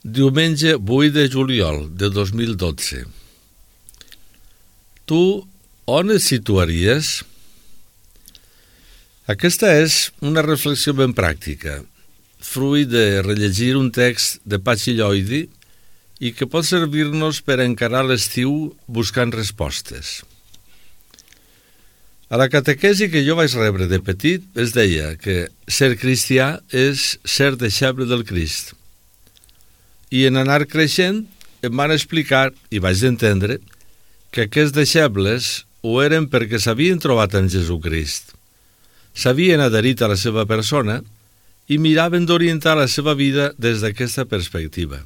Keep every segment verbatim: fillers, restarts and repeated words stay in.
Diumenge vuit de juliol de dos mil dotze. Tu on et situaries? Aquesta és una reflexió ben pràctica, fruit de rellegir un text de Patxi Lloidi i que pot servir-nos per encarar l'estiu buscant respostes. A la catequesi que jo vaig rebre de petit es deia que ser cristià és ser deixeble del Crist. I en anar creixent em van explicar, i vaig entendre, que aquests deixebles ho eren perquè s'havien trobat amb Jesucrist, s'havien adherit a la seva persona i miraven d'orientar la seva vida des d'aquesta perspectiva.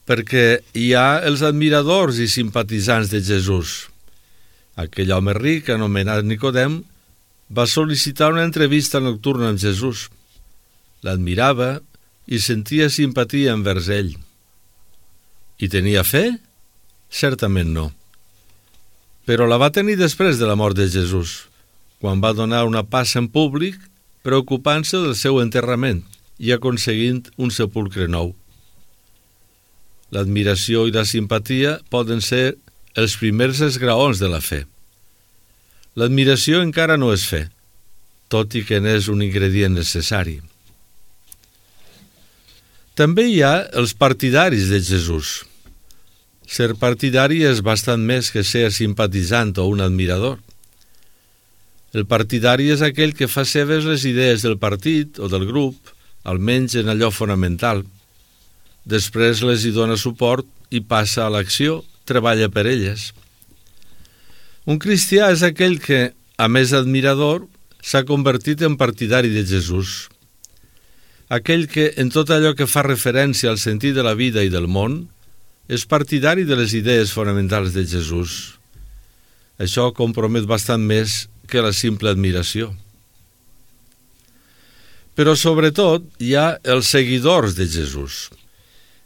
Perquè hi ha els admiradors i simpatitzants de Jesús. Aquell home ric, anomenat Nicodem, va sol·licitar una entrevista nocturna amb Jesús. L'admirava i sentia simpatia envers ell. I tenia fe? Certament no. Però la va tenir després de la mort de Jesús, quan va donar una passa en públic, preocupant-se del seu enterrament i aconseguint un sepulcre nou. L'admiració i la simpatia poden ser els primers esgraons de la fe. L'admiració encara no és fe, tot i que n'és un ingredient necessari. També hi ha els partidaris de Jesús. Ser partidari és bastant més que ser simpatitzant o un admirador. El partidari és aquell que fa seves les idees del partit o del grup, almenys en allò fonamental. Després les hi dona suport i passa a l'acció, treballa per elles. Un cristià és aquell que, a més admirador, s'ha convertit en partidari de Jesús. Aquell que, en tot allò que fa referència al sentit de la vida i del món, és partidari de les idees fonamentals de Jesús. Això compromet bastant més que la simple admiració. Però sobretot hi ha els seguidors de Jesús,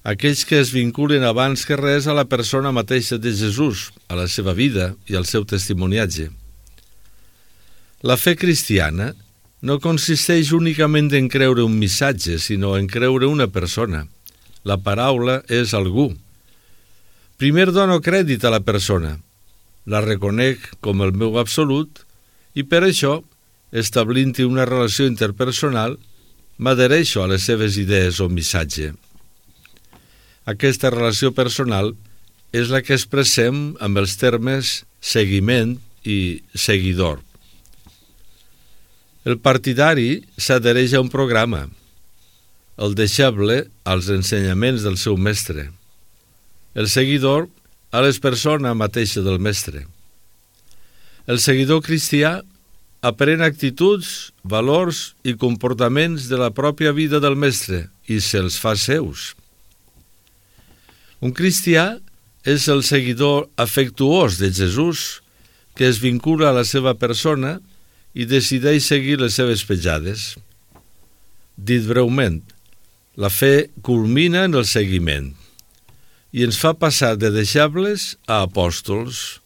aquells que es vinculen abans que res a la persona mateixa de Jesús, a la seva vida i al seu testimoniatge. La fe cristiana no consisteix únicament en creure un missatge, sinó en creure una persona. La paraula és algú. Primer dono crèdit a la persona, la reconec com el meu absolut i per això, establint-hi una relació interpersonal, m'adhereixo a les seves idees o missatge. Aquesta relació personal és la que expressem amb els termes seguiment i seguidor. El partidari s'adhereix a un programa, el deixeble als ensenyaments del seu mestre, el seguidor a les persones mateixa del mestre. El seguidor cristià aprèn actituds, valors i comportaments de la pròpia vida del mestre i se'ls fa seus. Un cristià és el seguidor afectuós de Jesús que es vincula a la seva persona i decideix seguir les seves petjades. Dit breument, la fe culmina en el seguiment i ens fa passar de deixebles a apòstols,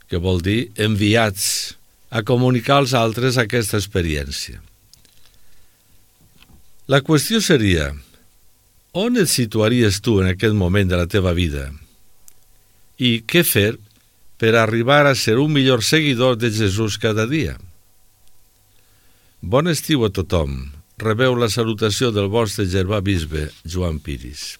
que vol dir enviats a comunicar als altres aquesta experiència. La qüestió seria, on et situaries tu en aquest moment de la teva vida? I què fer per arribar a ser un millor seguidor de Jesús cada dia? Bon estiu a tothom. Rebeu la salutació del vostre germà bisbe, Joan Piris.